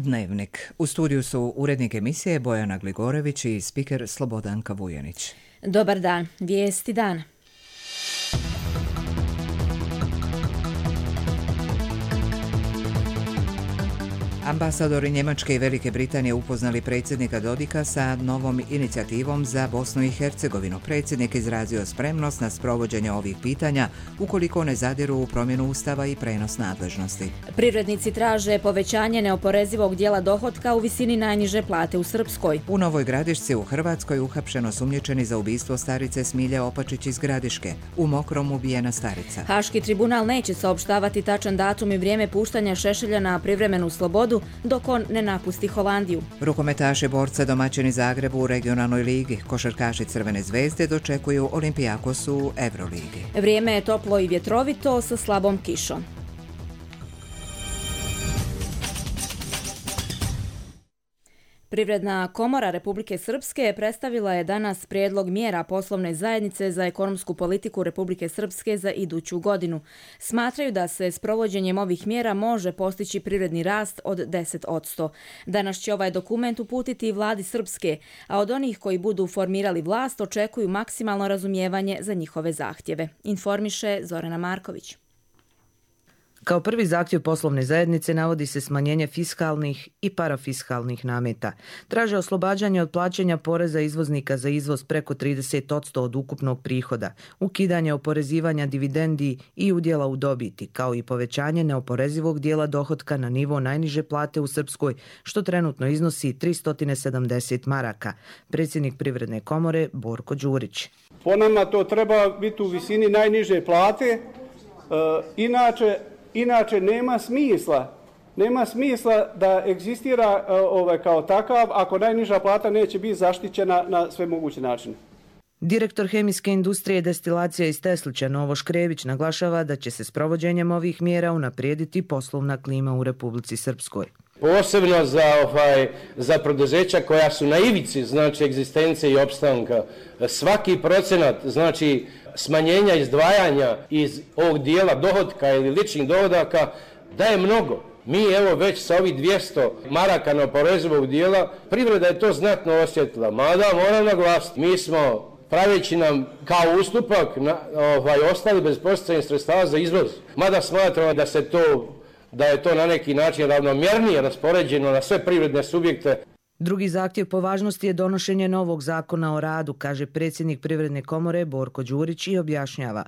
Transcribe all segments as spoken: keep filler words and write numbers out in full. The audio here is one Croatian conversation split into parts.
Dnevnik. U studiju su urednik emisije Bojana Gligorević i spiker Slobodanka Vujanić. Dobar dan, vijesti dana. Ambasadori Njemačke i Velike Britanije upoznali predsjednika Dodika sa novom inicijativom za Bosnu i Hercegovinu. Predsjednik izrazio spremnost na sprovođenje ovih pitanja ukoliko ne zadiru u promjenu ustava i prenos nadležnosti. Privrednici traže povećanje neoporezivog dijela dohotka u visini najniže plate u Srpskoj. U Novoj Gradišci u Hrvatskoj uhapšeno sumnjičeni za ubistvo starice Smilje Opačić iz Gradiške. U Mokrom ubijena starica. Haški tribunal neće saopštavati tačan datum i vrijeme puštanja Šešelja na privremenu slobodu dok on ne napusti Holandiju. Rukometaši borca domaćini Zagrebu u regionalnoj ligi, košarkaši Crvene zvezde dočekuju Olimpijakos u Euroligi. Vrijeme je toplo i vjetrovito sa slabom kišom. Privredna komora Republike Srpske predstavila je danas prijedlog mjera poslovne zajednice za ekonomsku politiku Republike Srpske za iduću godinu. Smatraju da se s provođenjem ovih mjera može postići privredni rast od deset posto. Danas će ovaj dokument uputiti vladi Srpske, a od onih koji budu formirali vlast očekuju maksimalno razumijevanje za njihove zahtjeve. Informiše Zorana Marković. Kao prvi zahtjev poslovne zajednice navodi se smanjenje fiskalnih i parafiskalnih nameta. Traže oslobađanje od plaćanja poreza izvoznika za izvoz preko trideset posto od ukupnog prihoda, ukidanje oporezivanja dividendi i udjela u dobiti, kao i povećanje neoporezivog dijela dohotka na nivo najniže plate u Srpskoj, što trenutno iznosi tristo sedamdeset maraka. Predsjednik Privredne komore Borko Đurić. Po nama to treba biti u visini najniže plate, e, inače Inače, nema smisla, nema smisla da egzistira ovaj, kao takav ako najniža plata neće biti zaštićena na sve moguće načine. Direktor hemijske industrije destilacija iz Teslića Novo Škrević naglašava da će se s provođenjem ovih mjera unaprijediti poslovna klima u Republici Srpskoj. Posebno za, ovaj, za preduzeća koja su na ivici, znači egzistencije i opstanka. Svaki procenat, znači smanjenja izdvajanja iz ovog dijela dohotka ili ličnih dohodaka daje mnogo. Mi evo već sa ovih dvjesto maraka neoporezivog dijela, privreda je to znatno osjetila. Mada moram naglasiti, mi smo praveći nam kao ustupak na, ovaj, ostali bez posticajnih sredstava za izvoz. Mada smatramo da se to da je to na neki način ravnomjernije raspoređeno na sve privredne subjekte. Drugi zahtjev po važnosti je donošenje novog zakona o radu, kaže predsjednik Privredne komore Borko Đurić i objašnjava.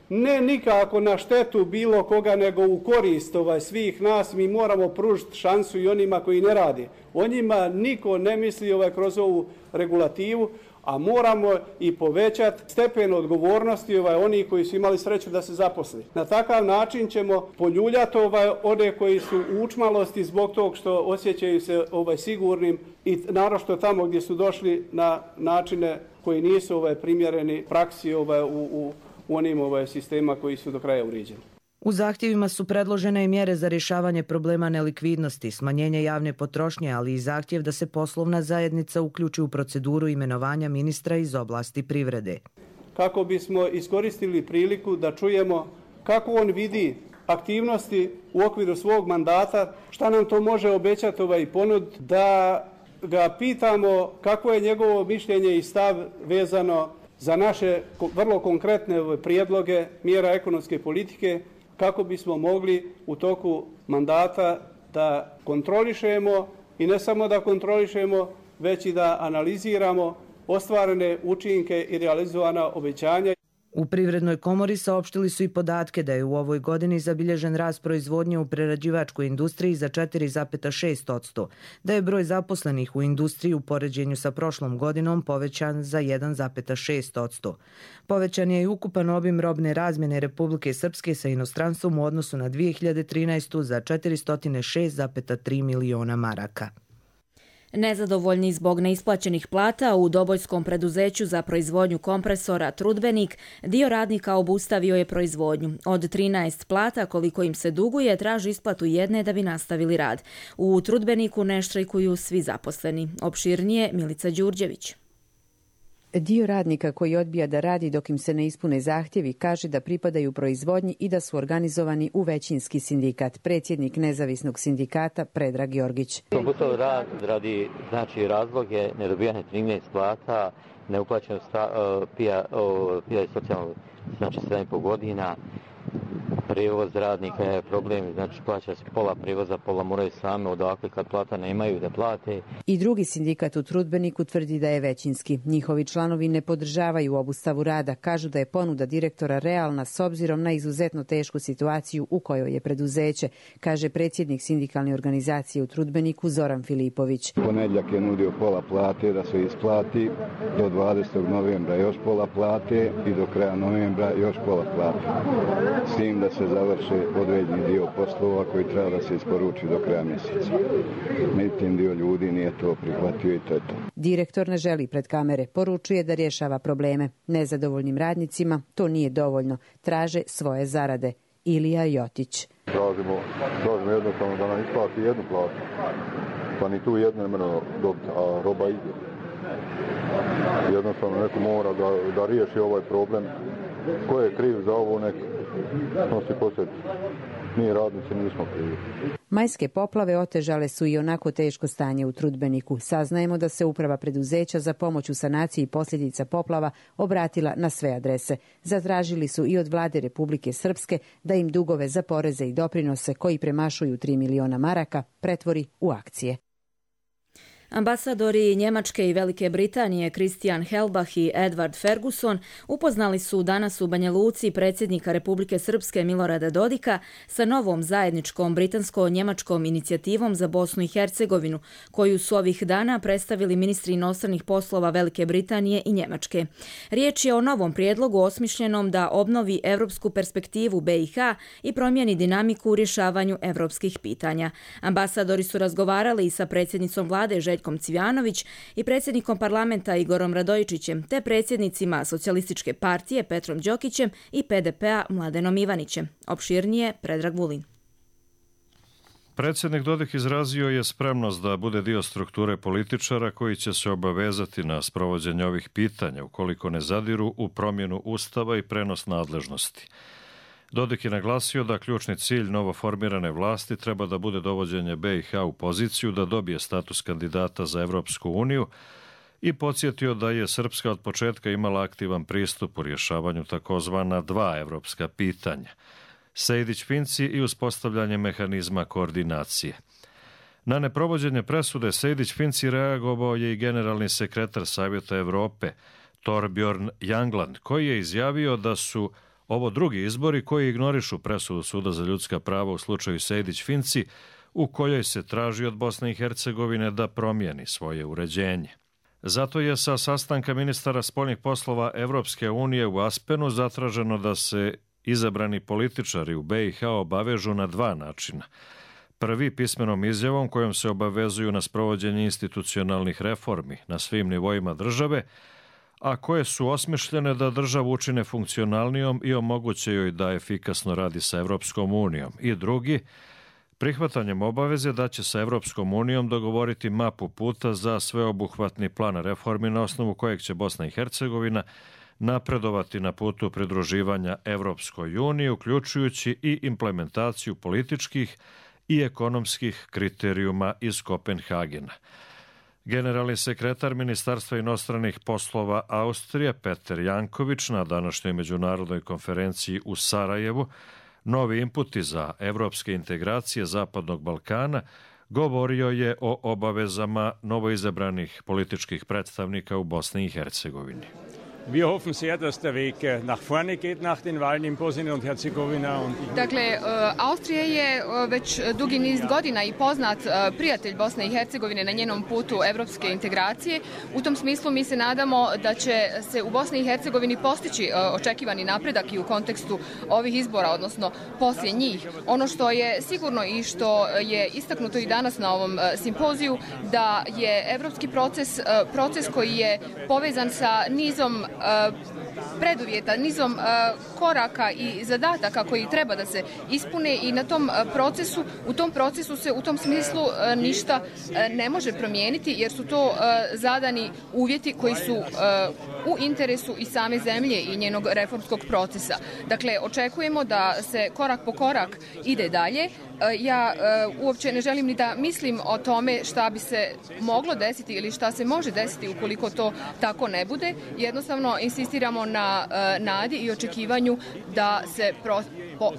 Ne nikako na štetu bilo koga, nego u korist ovaj, svih nas. Mi moramo pružiti šansu i onima koji ne rade. O njima niko ne misli ovaj, kroz ovu regulativu, a moramo i povećati stepen odgovornosti ovaj, onih koji su imali sreću da se zaposli. Na takav način ćemo poljuljati ovaj, one koji su u učmalosti zbog tog što osjećaju se ovaj, sigurnim i naročito tamo gdje su došli na načine koji nisu ovaj, primjereni praksi ovaj, u, u, u onim ovaj, sistema koji su do kraja uređeni. U zahtjevima su predložene i mjere za rješavanje problema nelikvidnosti, smanjenje javne potrošnje, ali i zahtjev da se poslovna zajednica uključi u proceduru imenovanja ministra iz oblasti privrede. Kako bismo iskoristili priliku da čujemo kako on vidi aktivnosti u okviru svog mandata, šta nam to može obećati ovaj ponud, da ga pitamo kako je njegovo mišljenje i stav vezano za naše vrlo konkretne prijedloge mjera ekonomske politike, kako bismo mogli u toku mandata da kontrolišemo i ne samo da kontrolišemo, već i da analiziramo ostvarene učinke i realizovana obećanja. U Privrednoj komori saopštili su i podatke da je u ovoj godini zabilježen rast proizvodnje u prerađivačkoj industriji za četiri zarez šest posto, da je broj zaposlenih u industriji u poređenju sa prošlom godinom povećan za jedan zarez šest posto. Povećan je i ukupan obim robne razmjene Republike Srpske sa inostranstvom u odnosu na dvije hiljade trinaestu. za četiristo šest zarez tri miliona maraka. Nezadovoljni zbog neisplaćenih plata u dobojskom preduzeću za proizvodnju kompresora Trudbenik, dio radnika obustavio je proizvodnju. Od trinaest plata koliko im se duguje, traži isplatu jedne da bi nastavili rad. U Trudbeniku ne štrajkuju svi zaposleni. Opširnije Milica Đurđević. Dio radnika koji odbija da radi dok im se ne ispune zahtjevi kaže da pripadaju proizvodnji i da su organizovani u većinski sindikat. Predsjednik nezavisnog sindikata Predrag Georgić. Komputov rad radi znači razloge nedobijanja trinaest plata, neuplaćeno pija i socijalno znači sedam i po godina. Prijevoz radnika je problem, znači plaća se pola prijevoza, pola moraju same odakle kad plata nemaju da plate. I drugi sindikat u Trudbeniku tvrdi da je većinski. Njihovi članovi ne podržavaju obustavu rada, kažu da je ponuda direktora realna s obzirom na izuzetno tešku situaciju u kojoj je preduzeće, kaže predsjednik sindikalne organizacije u Trudbeniku Zoran Filipović. Ponedjeljak je nudio pola plate da se isplati, do dvadesetog novembra još pola plate i do kraja novembra još pola plate. S tim da se završe određeni dio poslova koji treba da se isporuči do kraja mjeseca. Međutim, dio ljudi nije to prihvatio i to je to. Direktor ne želi pred kamere, poručuje da rješava probleme. Nezadovoljnim radnicima to nije dovoljno, traže svoje zarade. Ilija Jotić. Tražimo, tražimo jednostavno da nam isplati jednu platu, pa ni tu jednu ne mora dobiti, a roba ide. Jednostavno neko mora da, da riješi ovaj problem. Ko je kriv za ovo, nek nosi posljedice. Mi radnici nismo krivi. Majske poplave otežale su i onako teško stanje u Trudbeniku. Saznajemo da se uprava preduzeća za pomoć u sanaciji posljedica poplava obratila na sve adrese. Zatražili su i od vlade Republike Srpske da im dugove za poreze i doprinose koji premašuju tri miliona maraka pretvori u akcije. Ambasadori Njemačke i Velike Britanije Christian Helbach i Edward Ferguson upoznali su danas u Banja Luci predsjednika Republike Srpske Milorada Dodika sa novom zajedničkom britansko-njemačkom inicijativom za Bosnu i Hercegovinu, koju su ovih dana predstavili ministri inostranih poslova Velike Britanije i Njemačke. Riječ je o novom prijedlogu osmišljenom da obnovi evropsku perspektivu B i H i promijeni dinamiku u rješavanju evropskih pitanja. Ambasadori su razgovarali i sa predsjednicom vlade Željkom Cvijanović i predsjednikom parlamenta Igorom Radojičićem, te predsjednicima Socijalističke partije Petrom Đokićem i P D P-a Mladenom Ivanićem. Opširnije Predrag Vulin. Predsjednik Dodik izrazio je spremnost da bude dio strukture političara koji će se obavezati na sprovođenje ovih pitanja ukoliko ne zadiru u promjenu ustava i prenos nadležnosti. Dodik je naglasio da ključni cilj novoformirane vlasti treba da bude dovođenje B i H u poziciju da dobije status kandidata za Evropsku uniju i podsjetio da je Srpska od početka imala aktivan pristup u rješavanju takozvana dva evropska pitanja, Sejdić-Finci i uspostavljanje mehanizma koordinacije. Na neprovođenje presude Sejdić-Finci reagovao je i generalni sekretar Savjeta Evrope Torbjorn Jagland, koji je izjavio da su ovo drugi izbori koji ignorišu presudu Suda za ljudska prava u slučaju Sejdić-Finci, u kojoj se traži od Bosne i Hercegovine da promijeni svoje uređenje. Zato je sa sastanka ministara spoljnih poslova Evropske unije u Aspenu zatraženo da se izabrani političari u B i H obavežu na dva načina. Prvi pismenom izjavom kojom se obavezuju na sprovođenje institucionalnih reformi na svim nivoima države, a koje su osmišljene da državu učine funkcionalnijom i omoguće joj da efikasno radi sa Evropskom unijom. I drugi, prihvatanjem obaveze da će sa Evropskom unijom dogovoriti mapu puta za sveobuhvatni plan reformi na osnovu kojeg će Bosna i Hercegovina napredovati na putu pridruživanja Evropskoj uniji, uključujući i implementaciju političkih i ekonomskih kriterijuma iz Kopenhagena. Generalni sekretar Ministarstva inostranih poslova Austrije Peter Janković na današnjoj međunarodnoj konferenciji u Sarajevu Novi inputi za evropske integracije Zapadnog Balkana govorio je o obavezama novoizabranih političkih predstavnika u Bosni i Hercegovini. Wir hoffen sehr, dass der Weg nach vorne geht nach den Wahlen in Bosnien und Herzegovina. Dakle, Austrija je već dugi niz godina i poznat prijatelj Bosne i Hercegovine na njenom putu evropske integracije. U tom smislu mi se nadamo da će se u Bosni i Hercegovini postići očekivani napredak i u kontekstu ovih izbora, odnosno poslije njih. Ono što je sigurno i što je istaknuto i danas na ovom simpoziju, da je evropski proces proces koji je povezan sa nizom preduvjeta, nizom koraka i zadataka koji treba da se ispune i na tom procesu, u tom procesu se u tom smislu ništa ne može promijeniti jer su to zadani uvjeti koji su u interesu i same zemlje i njenog reformskog procesa. Dakle, očekujemo da se korak po korak ide dalje. Ja uopće ne želim ni da mislim o tome šta bi se moglo desiti ili šta se može desiti ukoliko to tako ne bude. Jednostavno insistiramo na nadi i očekivanju da se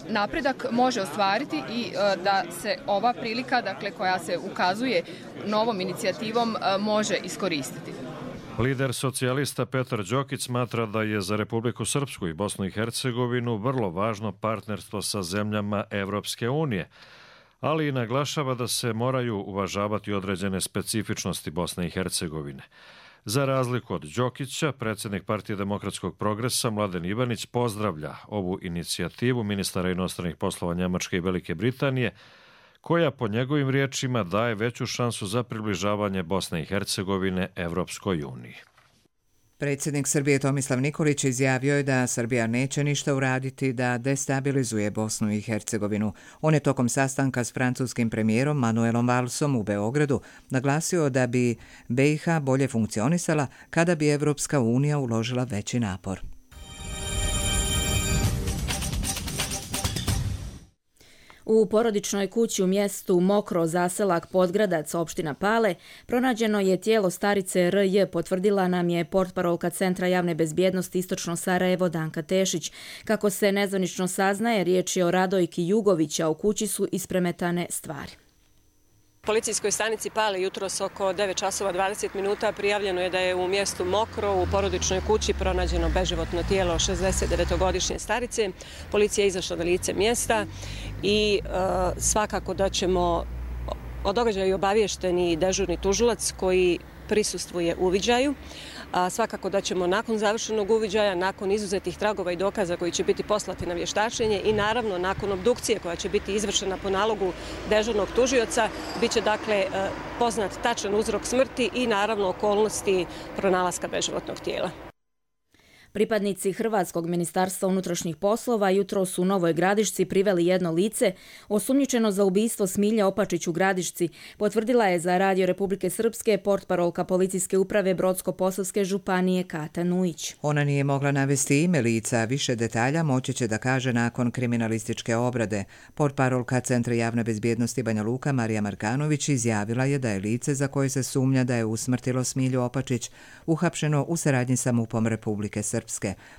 napredak može ostvariti i da se ova prilika, dakle, koja se ukazuje novom inicijativom, može iskoristiti. Lider socijalista Petar Đokić smatra da je za Republiku Srpsku i Bosnu i Hercegovinu vrlo važno partnerstvo sa zemljama Evropske unije, ali i naglašava da se moraju uvažavati određene specifičnosti Bosne i Hercegovine. Za razliku od Đokića, predsjednik Partije demokratskog progresa Mladen Ivanić pozdravlja ovu inicijativu ministara inostranih poslova Njemačke i Velike Britanije, koja po njegovim riječima daje veću šansu za približavanje Bosne i Hercegovine Evropskoj uniji. Predsjednik Srbije Tomislav Nikolić izjavio je da Srbija neće ništa uraditi da destabilizuje Bosnu i Hercegovinu. On je tokom sastanka s francuskim premijerom Manuelom Valsom u Beogradu naglasio da bi B i H bolje funkcionisala kada bi Evropska unija uložila veći napor. U porodičnoj kući u mjestu Mokro, zaselak Podgradac, opština Pale, pronađeno je tijelo starice R J, potvrdila nam je portparolka Centra javne bezbjednosti Istočno Sarajevo Danka Tešić. Kako se nezvanično saznaje, riječ je o Radojki Jugović, a u kući su ispremetane stvari. Policijskoj stanici Pale jutros oko devet časova dvadeset minuta prijavljeno je da je u mjestu Mokro u porodičnoj kući pronađeno beživotno tijelo šezdesetdevetogodišnje starice. Policija je izašla na lice mjesta i e, svakako da ćemo o događaju obavješteni dežurni tužilac koji prisustvuje uviđaju. A svakako da ćemo nakon završenog uviđaja, nakon izuzetih tragova i dokaza koji će biti poslati na vještačenje i naravno nakon obdukcije koja će biti izvršena po nalogu dežurnog tužioca, bit će dakle poznat tačan uzrok smrti i naravno okolnosti pronalaska beživotnog tijela. Pripadnici Hrvatskog ministarstva unutrašnjih poslova jutros u Novoj Gradišci priveli jedno lice osumnjičeno za ubistvo Smilje Opačić u Gradišci, potvrdila je za Radio Republike Srpske portparolka policijske uprave Brodsko-posavske županije Kata Nujić. Ona nije mogla navesti ime lica, više detalja moći će da kaže nakon kriminalističke obrade. Portparolka Centra javne bezbjednosti Banja Luka Marija Markanović izjavila je da je lice za koje se sumnja da je usmrtilo Smilju Opačić uhapšeno u saradnji sa MUP-om Republike Srpske.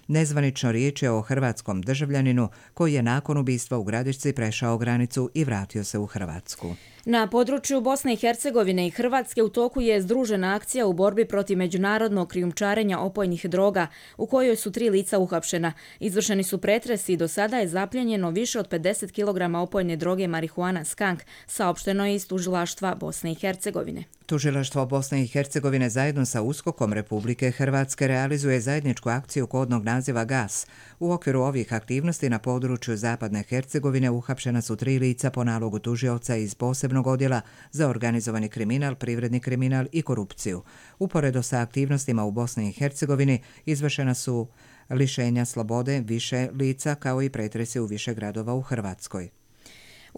Nezvanično riječ je o hrvatskom državljaninu koji je nakon ubistva u Gradišci prešao granicu i vratio se u Hrvatsku. Na području Bosne i Hercegovine i Hrvatske u toku je združena akcija u borbi protiv međunarodnog krijumčarenja opojnih droga, u kojoj su tri lica uhapšena. Izvršeni su pretresi i do sada je zapljenjeno više od pedeset kilograma opojne droge marihuana skank, saopšteno je iz tužilaštva Bosne i Hercegovine. Tužilaštvo Bosne i Hercegovine zajedno sa USKOK-om Republike Hrvatske realizuje zajedničku akciju kodnog naziva Gas. U okviru ovih aktivnosti na području Zapadne Hercegovine uhapšena su tri lica po nalogu tužioca iz posebnog odjela za organizovani kriminal, privredni kriminal i korupciju. Uporedo sa aktivnostima u Bosni i Hercegovini izvršena su lišenja slobode više lica kao i pretresi u više gradova u Hrvatskoj.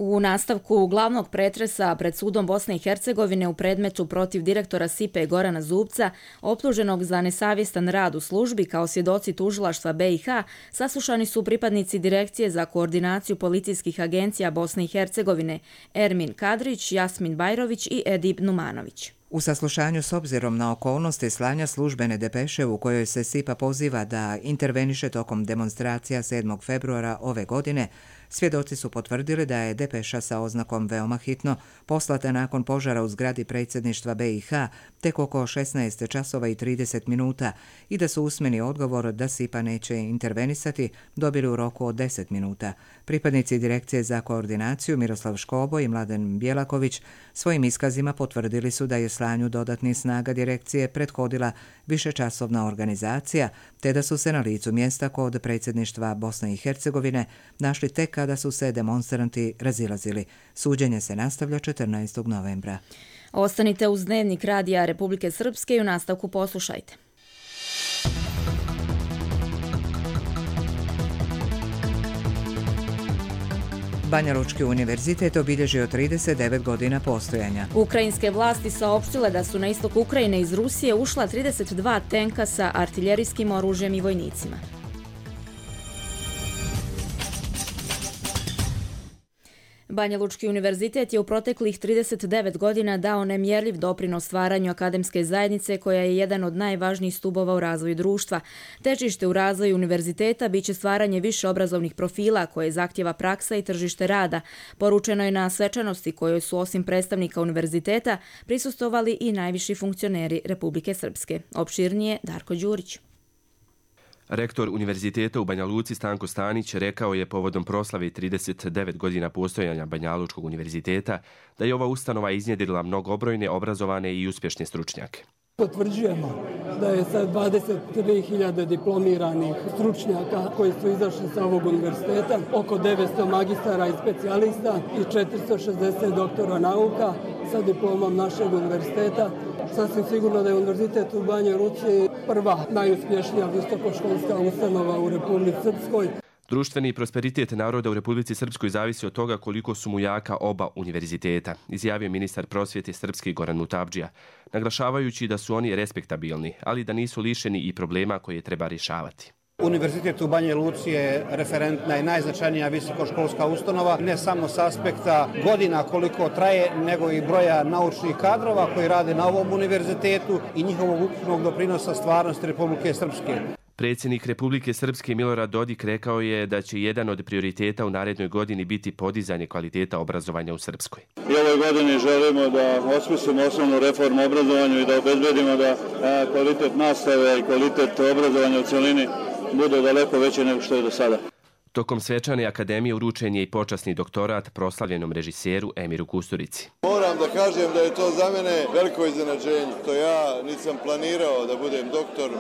U nastavku glavnog pretresa pred sudom Bosne i Hercegovine u predmetu protiv direktora S I P E Gorana Zubca, optuženog za nesavjestan rad u službi kao svjedoci tužilaštva B i H, saslušani su pripadnici Direkcije za koordinaciju policijskih agencija Bosne i Hercegovine Ermin Kadrić, Jasmin Bajrović i Edip Numanović. U saslušanju s obzirom na okolnosti slanja službene depeše u kojoj se S I P A poziva da interveniše tokom demonstracija sedmog februara ove godine, svjedoci su potvrdili da je depeša sa oznakom veoma hitno poslata nakon požara u zgradi predsjedništva B i H tek oko šesnaest časova i trideset minuta i da su usmeni odgovor da S I P A neće intervenisati dobili u roku od deset minuta. Pripadnici Direkcije za koordinaciju Miroslav Škobo i Mladen Bjelaković svojim iskazima potvrdili su da je slanju dodatnih snaga direkcije prethodila višečasovna organizacija, te da su se na licu mjesta kod predsjedništva Bosne i Hercegovine našli tek kada su se demonstranti razilazili. Suđenje se nastavlja četrnaestog novembra. Ostanite uz Dnevnik Radija Republike Srpske i u nastavku poslušajte. Banja Lučki univerzitet obilježio trideset devet godina postojanja. Ukrajinske vlasti saopštile da su na istok Ukrajine iz Rusije ušla trideset dva tenka sa artiljerijskim oružjem i vojnicima. Banja Lučki univerzitet je u proteklih trideset devet godina dao nemjerljiv doprinos stvaranju akademske zajednice koja je jedan od najvažnijih stubova u razvoju društva. Težište u razvoju univerziteta biće stvaranje više obrazovnih profila koje zahtjeva praksa i tržište rada. Poručeno je na svečanosti kojoj su osim predstavnika univerziteta prisustvovali i najviši funkcioneri Republike Srpske. Opširnije Darko Đurić. Rektor Univerziteta u Banja Luci Stanko Stanić rekao je povodom proslave trideset devet godina postojanja Banja Lučkog univerziteta da je ova ustanova iznjedrila mnogobrojne, obrazovane i uspješne stručnjake. Potvrđujemo da je sad dvadeset tri hiljade diplomiranih stručnjaka koji su izašli sa ovog univerziteta, oko devetsto magistara i specijalista i četiristo šezdeset doktora nauka sa diplomom našeg univerziteta. Sasvim sigurno da je univerzitet u Banjoj Luci prva najuspješnija visokoškolska ustanova u Republici Srpskoj. Društveni prosperitet naroda u Republici Srpskoj zavisi od toga koliko su mu jaka oba univerziteta, izjavio ministar prosvjete Srpske Goran Mutabdžija, naglašavajući da su oni respektabilni, ali da nisu lišeni i problema koje treba rješavati. Univerzitet u Banji Luci je referentna i najznačajnija visokoškolska ustanova, ne samo s aspekta godina koliko traje, nego i broja naučnih kadrova koji rade na ovom univerzitetu i njihovog ukupnog doprinosa stvarnosti Republike Srpske. Predsjednik Republike Srpske Milorad Dodik rekao je da će jedan od prioriteta u narednoj godini biti podizanje kvaliteta obrazovanja u Srpskoj. I ovoj godini želimo da osmislimo osnovnu reformu obrazovanju i da obezbedimo da kvalitet nastave i kvalitet obrazovanja u cjelini bude daleko veći nego što je do sada. Tokom svečane akademije uručen je i počasni doktorat proslavljenom režiseru Emiru Kusturici. Moram da kažem da je to za mene veliko iznenađenje. To ja nisam planirao da budem doktor,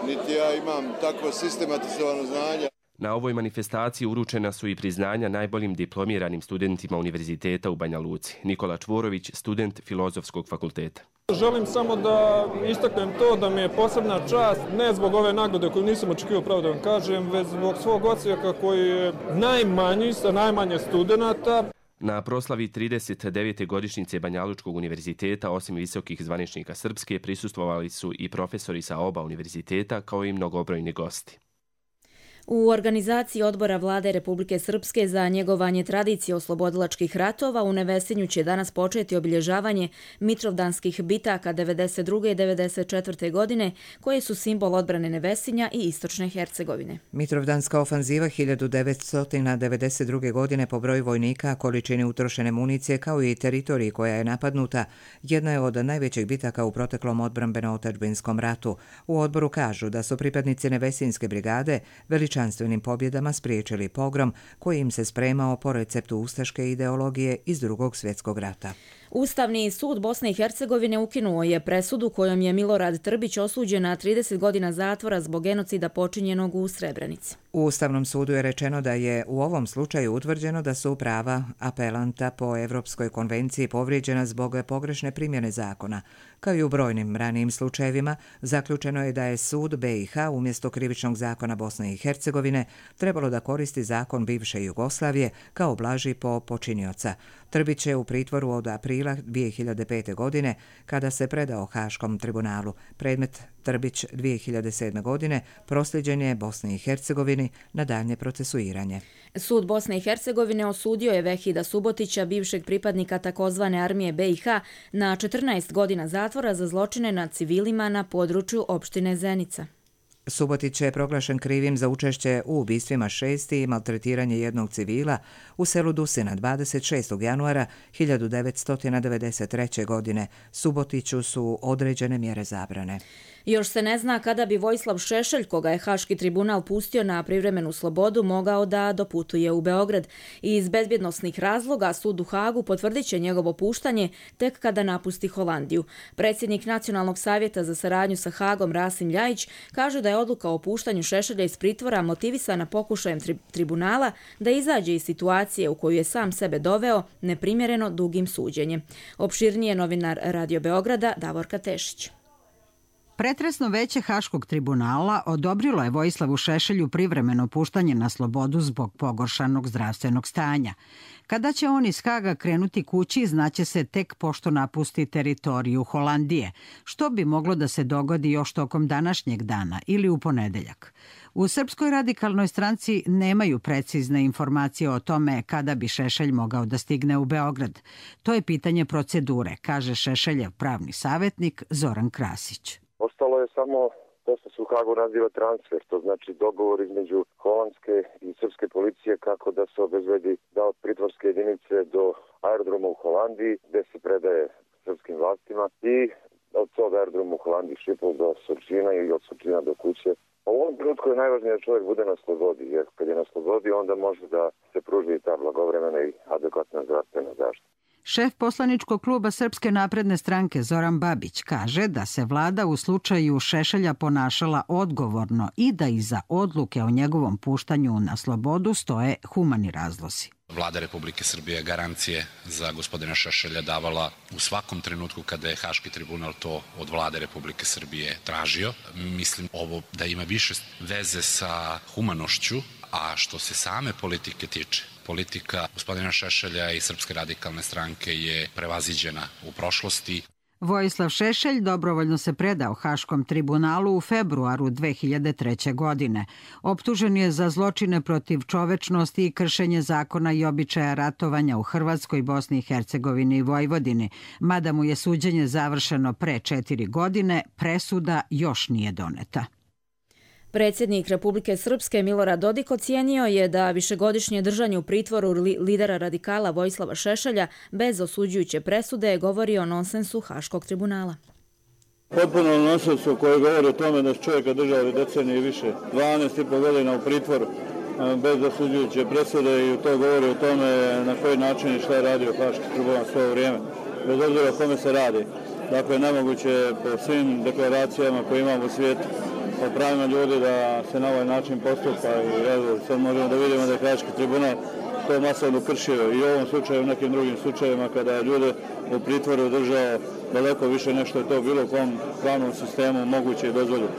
niti ja imam takvo sistematizovano znanje. Na ovoj manifestaciji uručena su i priznanja najboljim diplomiranim studentima univerziteta u Banja Luci. Nikola Čvorović, student Filozofskog fakulteta. Želim samo da istaknem to da mi je posebna čast, ne zbog ove nagrade koju nisam očekivao, pravo da vam kažem, već zbog svog odsjeka koji je najmanji sa najmanje studenata. Na proslavi trideset devete godišnjice Banja Lučkog univerziteta, osim visokih zvaničnika Srpske, prisustvovali su i profesori sa oba univerziteta, kao i mnogobrojni gosti. U organizaciji odbora vlade Republike Srpske za njegovanje tradicije oslobodilačkih ratova u Nevesinju će danas početi obilježavanje Mitrovdanskih bitaka devedeset druge i devedeset četvrte godine, koje su simbol odbrane Nevesinja i istočne Hercegovine. Mitrovdanska ofanziva hiljadu devetsto devedeset druge. godine po broju vojnika, količini utrošene municije kao i teritoriji koja je napadnuta, jedna je od najvećih bitaka u proteklom odbrambeno-otadžbinskom ratu. U odboru kažu da su pripadnici Nevesinjske brigade veličanstvenim pobjedama spriječili pogrom koji im se spremao po receptu ustaške ideologije iz Drugog svjetskog rata. Ustavni sud Bosne i Hercegovine ukinuo je presudu kojom je Milorad Trbić osuđen na trideset godina zatvora zbog genocida počinjenog u Srebrenici. U Ustavnom sudu je rečeno da je u ovom slučaju utvrđeno da su prava apelanta po Evropskoj konvenciji povrijeđena zbog pogrešne primjene zakona. Kao i u brojnim ranijim slučajevima, zaključeno je da je sud B i H umjesto krivičnog zakona Bosne i Hercegovine trebalo da koristi zakon bivše Jugoslavije kao blaži po počinioca. Trbić je u pritvoru od aprila dvije hiljade pete. godine kada se predao Haškom tribunalu. Predmet Trbić dvije hiljade sedme. godine prosljeđen je Bosni i Hercegovini na daljnje procesuiranje. Sud Bosne i Hercegovine osudio je Vehida Subotića, bivšeg pripadnika takozvane armije B i H, na četrnaest godina zatvora za zločine nad civilima na području opštine Zenica. Subotić je proglašen krivim za učešće u ubistvima šesti i maltretiranje jednog civila u selu Dusina dvadeset šestog januara hiljadu devetsto devedeset treće. godine. Subotiću su određene mjere zabrane. Još se ne zna kada bi Vojislav Šešelj, koga je Haški tribunal pustio na privremenu slobodu, mogao da doputuje u Beograd. Iz bezbjednosnih razloga sud u Hagu potvrdit će njegovo puštanje tek kada napusti Holandiju. Predsjednik Nacionalnog savjeta za saradnju sa Hagom Rasim Ljajić kaže da je odluka o puštanju Šešelja iz pritvora motivisana pokušajem tri- tribunala da izađe iz situacije u koju je sam sebe doveo neprimjereno dugim suđenjem. Opširnije novinar Radio Beograda Davorka Tešić. Pretresno veće Haškog tribunala odobrilo je Vojislavu Šešelju privremeno puštanje na slobodu zbog pogoršanog zdravstvenog stanja. Kada će on iz Haga krenuti kući, znaće se tek pošto napusti teritoriju Holandije, što bi moglo da se dogodi još tokom današnjeg dana ili u ponedeljak. U Srpskoj radikalnoj stranci nemaju precizne informacije o tome kada bi Šešelj mogao da stigne u Beograd. To je pitanje procedure, kaže Šešeljev pravni savjetnik Zoran Krasić. Ostalo je samo to što se u Hagu naziva transfer, to znači dogovor između holandske i srpske policije kako da se obezbedi da od pritvorske jedinice do aerodroma u Holandiji gde se predaje srpskim vlastima i od tog aerodroma u Holandiji Šipol do Surčina i od Surčina do kuće. U ovom trenutku je najvažnije da čovjek bude na slobodi, jer kad je na slobodi onda može da se pruži ta blagovremena i adekvatna zdravstvena zaštita. Šef poslaničkog kluba Srpske napredne stranke Zoran Babić kaže da se vlada u slučaju Šešelja ponašala odgovorno i da iza odluke o njegovom puštanju na slobodu stoje humani razlozi. Vlada Republike Srbije garancije za gospodina Šešelja davala u svakom trenutku kada je Haški tribunal to od Vlade Republike Srbije tražio. Mislim ovo da ima više veze sa humanošću, a što se same politike tiče, politika gospodina Šešelja i Srpske radikalne stranke je prevaziđena u prošlosti. Vojislav Šešelj dobrovoljno se predao Haškom tribunalu u februaru dve hiljade treće. godine. Optužen je za zločine protiv čovečnosti i kršenje zakona i običaja ratovanja u Hrvatskoj, Bosni i Hercegovini i Vojvodini. Mada mu je suđenje završeno pre četiri godine, presuda još nije doneta. Predsjednik Republike Srpske Milorad Dodik ocijenio je da višegodišnje držanje u pritvoru lidera radikala Vojislava Šešelja bez osuđujuće presude govori o nonsensu Haškog tribunala. Potpuno nonsensu koji govori o tome da su čovjeka držali decenije i više, dvanaest i po godina u pritvoru bez osuđujuće presude i to govori o tome na koji način i šta je radio Haški tribunal svoje vrijeme, bez obzira o kome se radi. Dakle, nemoguće je po svim deklaracijama koje imamo u svijetu o pravima ljudi da se na ovaj način postupa i evo, sad možemo da vidimo da je Haški tribunal to masovno kršio i u ovom slučaju i u nekim drugim slučajevima kada je ljude u pritvoru držao daleko više nešto je to bilo u kom pravnom sistemu moguće i dozvoljeno.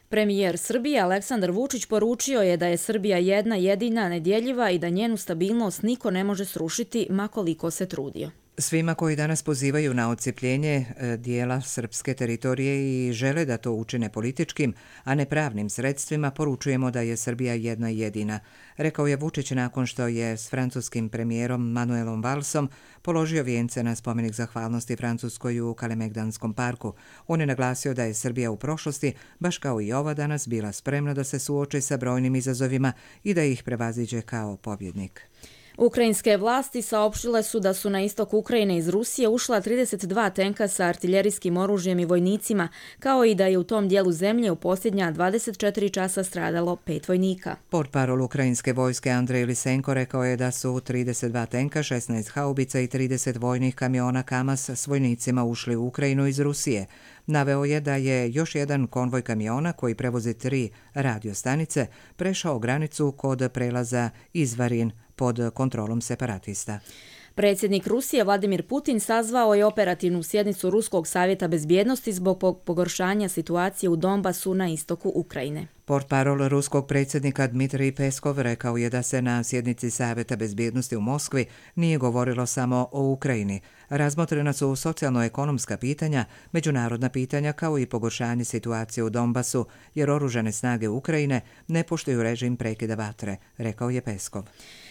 Premijer Srbije Aleksandar Vučić poručio je da je Srbija jedna jedina nedjeljiva i da njenu stabilnost niko ne može srušiti ma koliko se trudio. Svima koji danas pozivaju na odcijepljenje dijela srpske teritorije i žele da to učine političkim, a ne pravnim sredstvima, poručujemo da je Srbija jedna jedina, rekao je Vučić nakon što je s francuskim premijerom Manuelom Valsom položio vijence na spomenik zahvalnosti Francuskoj u Kalemegdanskom parku. On je naglasio da je Srbija u prošlosti, baš kao i ova danas, bila spremna da se suoči sa brojnim izazovima i da ih prevaziđe kao pobjednik. Ukrajinske vlasti saopštile su da su na istok Ukrajine iz Rusije ušla trideset dva tenka sa artiljerijskim oružjem i vojnicima, kao i da je u tom dijelu zemlje u posljednja dvadeset četiri časa stradalo pet vojnika. Portparol ukrajinske vojske Andrej Lisenko rekao je da su trideset dva tenka, šesnaest haubica i trideset vojnih kamiona Kamaz s vojnicima ušli u Ukrajinu iz Rusije. Naveo je da je još jedan konvoj kamiona koji prevozi tri radiostanice prešao granicu kod prelaza Izvarin pod kontrolom separatista. Predsjednik Rusije Vladimir Putin sazvao je operativnu sjednicu Ruskog savjeta bezbjednosti zbog pogoršanja situacije u Donbasu na istoku Ukrajine. Portparol ruskog predsjednika Dmitrij Peskov rekao je da se na sjednici Savjeta bezbjednosti u Moskvi nije govorilo samo o Ukrajini. Razmotrena su socijalno-ekonomska pitanja, međunarodna pitanja kao i pogoršanje situacije u Donbasu, jer oružane snage Ukrajine ne poštuju režim prekida vatre, rekao je Peskov.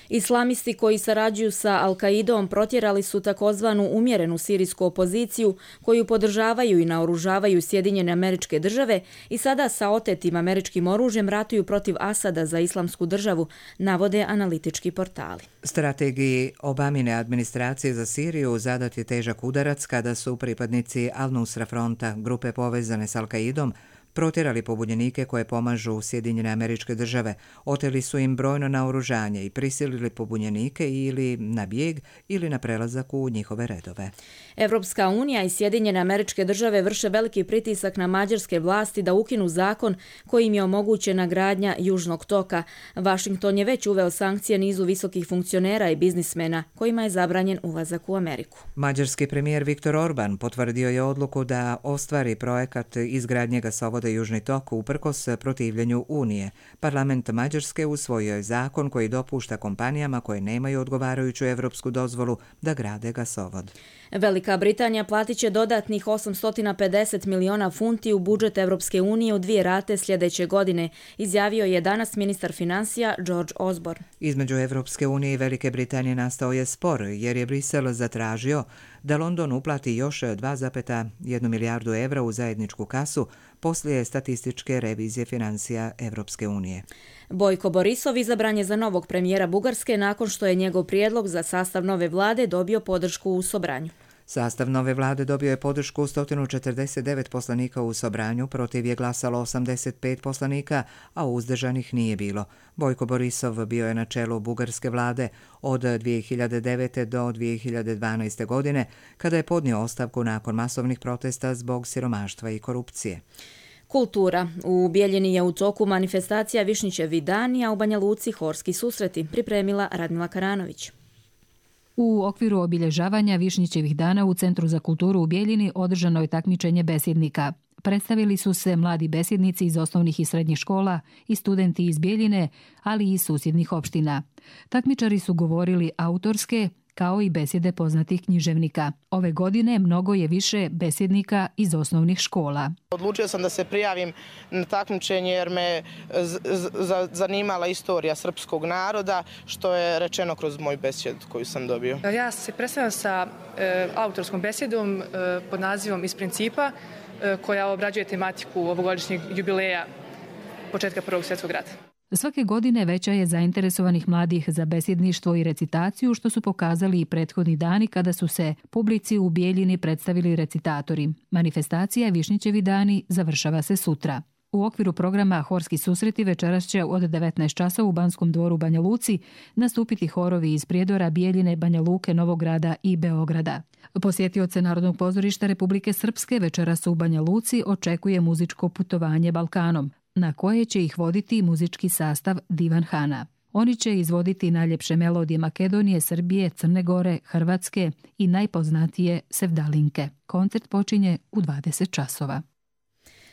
Islamisti koji sarađuju sa Al-Kaidom protjerali su takozvanu umjerenu sirijsku opoziciju koju podržavaju i naoružavaju Sjedinjene Američke Države i sada sa otetim američkim oružjem ratuju protiv Asada za Islamsku državu, navode analitički portali. Strategiji Obamine administracije za Siriju zadat je težak udarac kada su pripadnici Al-Nusra fronta, grupe povezane s Al-Kaidom, protjerali pobunjenike koje pomažu Sjedinjene Američke Države, oteli su im brojno naoružanje i prisilili pobunjenike ili na bijeg ili na prelazak u njihove redove. Evropska unija i Sjedinjene Američke Države vrše veliki pritisak na mađarske vlasti da ukinu zakon kojim je omogućena gradnja Južnog toka. Washington je već uveo sankcije nizu visokih funkcionera i biznismena kojima je zabranjen ulazak u Ameriku. Mađarski premijer Viktor Orban potvrdio je odluku da ostvari projekat izgradnje gasovoda Južni tok uprkos protivljenju Unije. Parlament Mađarske usvojio je zakon koji dopušta kompanijama koje nemaju odgovarajuću evropsku dozvolu da grade gasovod. Velika Britanija platit će dodatnih osamsto pedeset miliona funti u budžet Evropske unije u dvije rate sljedeće godine, izjavio je danas ministar financija George Osborne. Između Evropske unije i Velike Britanije nastao je spor jer je Brisel zatražio da London uplati još dva zarez jedna milijardu evra u zajedničku kasu poslije statističke revizije financija Evropske unije. Bojko Borisov izabran je za novog premijera Bugarske nakon što je njegov prijedlog za sastav nove vlade dobio podršku u Sobranju. Sastav nove vlade dobio je podršku sto četrdeset devet poslanika u Sobranju, protiv je glasalo osamdeset pet poslanika, a uzdržanih nije bilo. Bojko Borisov bio je na čelu bugarske vlade od dvije hiljade devete. do dvije hiljade dvanaeste. godine, kada je podnio ostavku nakon masovnih protesta zbog siromaštva i korupcije. Kultura. U Bijeljini je u toku manifestacija Višnjićevi dani, a u Banja Luci horski susreti, pripremila Radmila Karanović. U okviru obilježavanja Višnjićevih dana u Centru za kulturu u Bijeljini održano je takmičenje besjednika. Predstavili su se mladi besjednici iz osnovnih i srednjih škola i studenti iz Bijeljine, ali i iz susjednih opština. Takmičari su govorili autorske, kao i besjede poznatih književnika. Ove godine mnogo je više besjednika iz osnovnih škola. Odlučio sam da se prijavim na takmičenje jer me zanimala istorija srpskog naroda, što je rečeno kroz moj besjed koju sam dobio. Ja se predstavljam sa e, autorskom besjedom e, pod nazivom Iz principa, e, koja obrađuje tematiku ovogodišnjeg jubileja početka Prvog svjetskog rata. Svake godine veća je zainteresovanih mladih za besjedništvo i recitaciju, što su pokazali i prethodni dani kada su se publici u Bijeljini predstavili recitatori. Manifestacija Višnjićevi dani završava se sutra. U okviru programa Horski susreti večeras će od devetnaest časova u Banskom dvoru u Banja Luci nastupiti horovi iz Prijedora, Bijeljine, Banja Luke, Novog Grada i Beograda. Posjetioce Narodnog pozorišta Republike Srpske večeras u Banja Luci očekuje muzičko putovanje Balkanom, na koje će ih voditi muzički sastav Divan Hana. Oni će izvoditi najljepše melodije Makedonije, Srbije, Crne Gore, Hrvatske i najpoznatije Sevdalinke. Koncert počinje u dvadeset časova.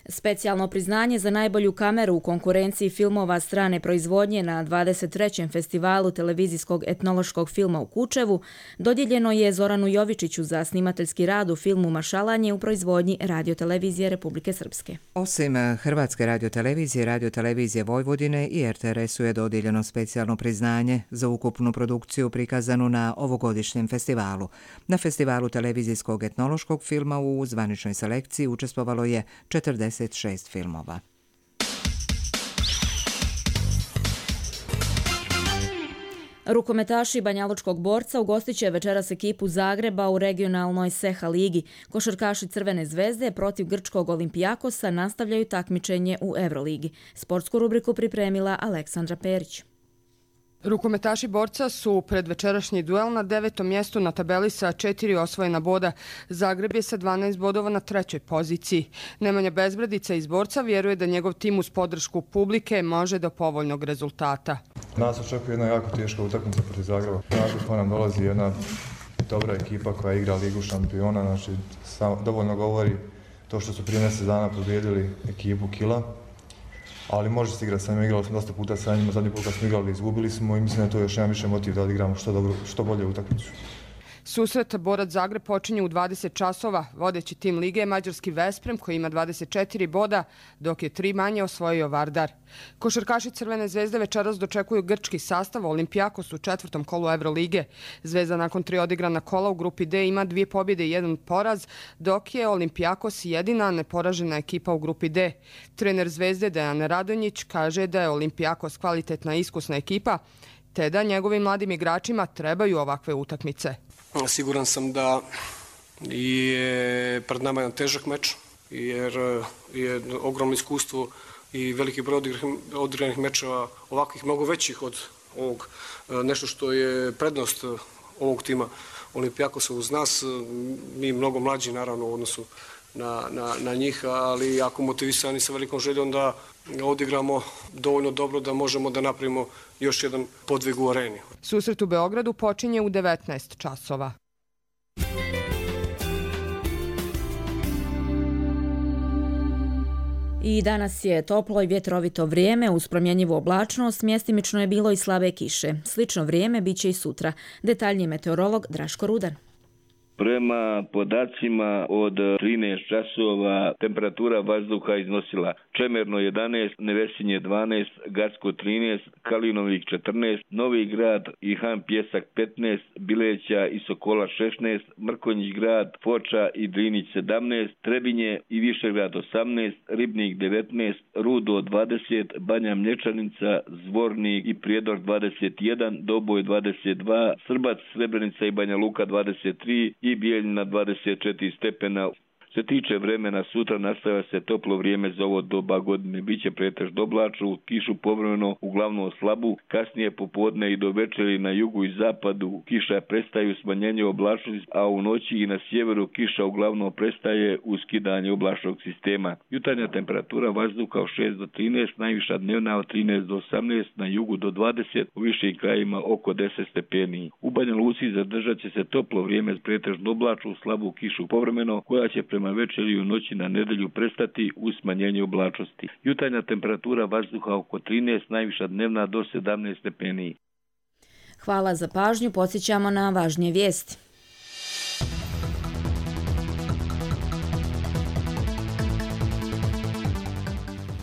Specijalno priznanje za najbolju kameru u konkurenciji filmova strane proizvodnje na dvadeset trećem festivalu televizijskog etnološkog filma u Kučevu dodijeljeno je Zoranu Jovičiću za snimateljski rad u filmu Mašalanje u proizvodnji Radiotelevizije Republike Srpske. Osim Hrvatske radiotelevizije, Radiotelevizije Vojvodine i er te er esu je dodijeljeno specijalno priznanje za ukupnu produkciju prikazanu na ovogodišnjem festivalu. Na festivalu televizijskog etnološkog filma u zvaničnoj selekciji učestvovalo je četrdeset šest filmova. Rukometaši Banjalučkog Borca ugostit će večeras ekipu Zagreba u regionalnoj Seha ligi. Košarkaši Crvene zvezde protiv grčkog Olimpijakosa nastavljaju takmičenje u Evroligi. Sportsku rubriku pripremila Aleksandra Perić. Rukometaši Borca su pred večerašnji duel na devetom mjestu na tabeli sa četiri osvojena boda. Zagreb je sa dvanaest bodova na trećoj poziciji. Nemanja Bezbradica iz Borca vjeruje da njegov tim uz podršku publike može do povoljnog rezultata. Nas očekuje jedna jako teška utakmica protiv Zagreba. Nakon nam dolazi jedna dobra ekipa koja igra Ligu šampiona. Znači, sam, dovoljno govori to što su prije mjesec dana pobijedili ekipu Kila. Ali može se igrati, sam igrali smo dosta puta sa njima, zadnji put kad smo igrali izgubili smo i mislim da je to još jedan više motiv da odigramo što, dobro, što bolje utakmicu. Susret Borac Zagreb počinje u dvadeset časova. Vodeći tim lige je mađarski Vesprem koji ima dvadeset četiri boda, dok je tri manje osvojio Vardar. Košarkaši Crvene zvezde večeras dočekuju grčki sastav Olimpijakos u četvrtom kolu Evrolige. Zvezda nakon tri odigrana kola u grupi D ima dvije pobjede i jedan poraz, dok je Olimpijakos jedina neporažena ekipa u grupi D. Trener Zvezde Dejan Radonjić kaže da je Olimpijakos kvalitetna i iskusna ekipa, te da njegovim mladim igračima trebaju ovakve utakmice. Siguran sam da je pred nama jedan težak meč jer je ogromno iskustvo i veliki broj odigranih mečeva, ovakvih mnogo većih od ovog, nešto što je prednost ovog tima Olimpijakosa uz nas, mi mnogo mlađi naravno u odnosu na, na, na njih, ali jako motivisani sa velikom željom da odigramo dovoljno dobro da možemo da napravimo još jedan podvig u areni. Susret u Beogradu počinje u devetnaest časova. I danas je toplo i vjetrovito vrijeme uz promjenjivu oblačnost, mjestimično je bilo i slabe kiše. Slično vrijeme bit će i sutra. Detaljniji meteorolog Draško Rudan. Prema podacima od trinaest časova temperatura vazduha iznosila Čemerno jedanaest, Nevesinje dvanaest, Gacko trinaest, Kalinovik četrnaest, Novi Grad i Han Pjesak petnaest, Bileća i Sokola šesnaest, Mrkonjić Grad, Foča i Drinić sedamnaest, Trebinje i Višegrad osamnaest, Ribnik devetnaest, Rudo dvadeset, Banja Mlječanica, Zvornik i Prijedor dvadeset jedan, Doboj dvadeset dva, Srbac, Srebrenica i Banja Luka dvadeset tri i Bijeljina dvadeset četiri stepena. Što se tiče vremena, sutra nastavlja se toplo vrijeme za ovo doba godine. Biće pretežno oblačno, kišu povremeno, uglavnom slabu, kasnije popodne i do večeri na jugu i zapadu kiša prestaju smanjenje oblačnosti, a u noći i na sjeveru kiša uglavnom prestaje u skidanje oblačnog sistema. Jutarnja temperatura vazduha od šest do trinaest, najviša dnevna od trinaest do osamnaest, na jugu do dvadeset, u višim krajima oko deset stepeni. U Banja Luci zadržat će se toplo vrijeme pretežno oblačno, slabu kišu povremeno, koja će prema večeri i u noći na nedelju prestati u smanjenju oblačnosti. Jutarnja temperatura vazduha oko trinaest, najviša dnevna do sedamnaest stepeni. Hvala za pažnju, podsjećamo na važnije vijesti.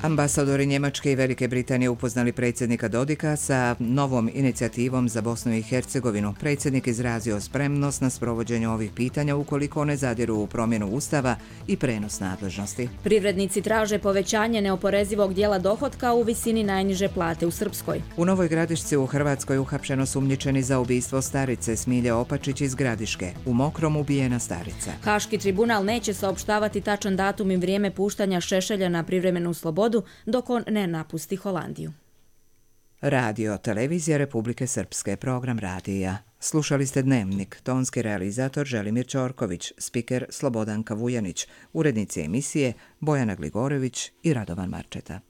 Ambasadori Njemačke i Velike Britanije upoznali predsjednika Dodika sa novom inicijativom za Bosnu i Hercegovinu. Predsjednik izrazio spremnost na sprovođenje ovih pitanja ukoliko ne zadiru u promjenu ustava i prenos nadležnosti. Privrednici traže povećanje neoporezivog dijela dohotka u visini najniže plate u Srpskoj. U Novoj Gradišci u Hrvatskoj uhapšeno sumnjičeni za ubistvo starice Smilje Opačić iz Gradiške. U Mokrom ubijena starica. Haški tribunal neće saopštavati tačan datum i vrijeme puštanja Šešelja na privremenu slobodu dok on ne napusti Holandiju. Radio Televizija Republike Srpske, program radija. Slušali ste Dnevnik, tonski realizator Želimir Ćorković, spiker Slobodanka Vujanić, urednici emisije Bojana Gligorević i Radovan Marčeta.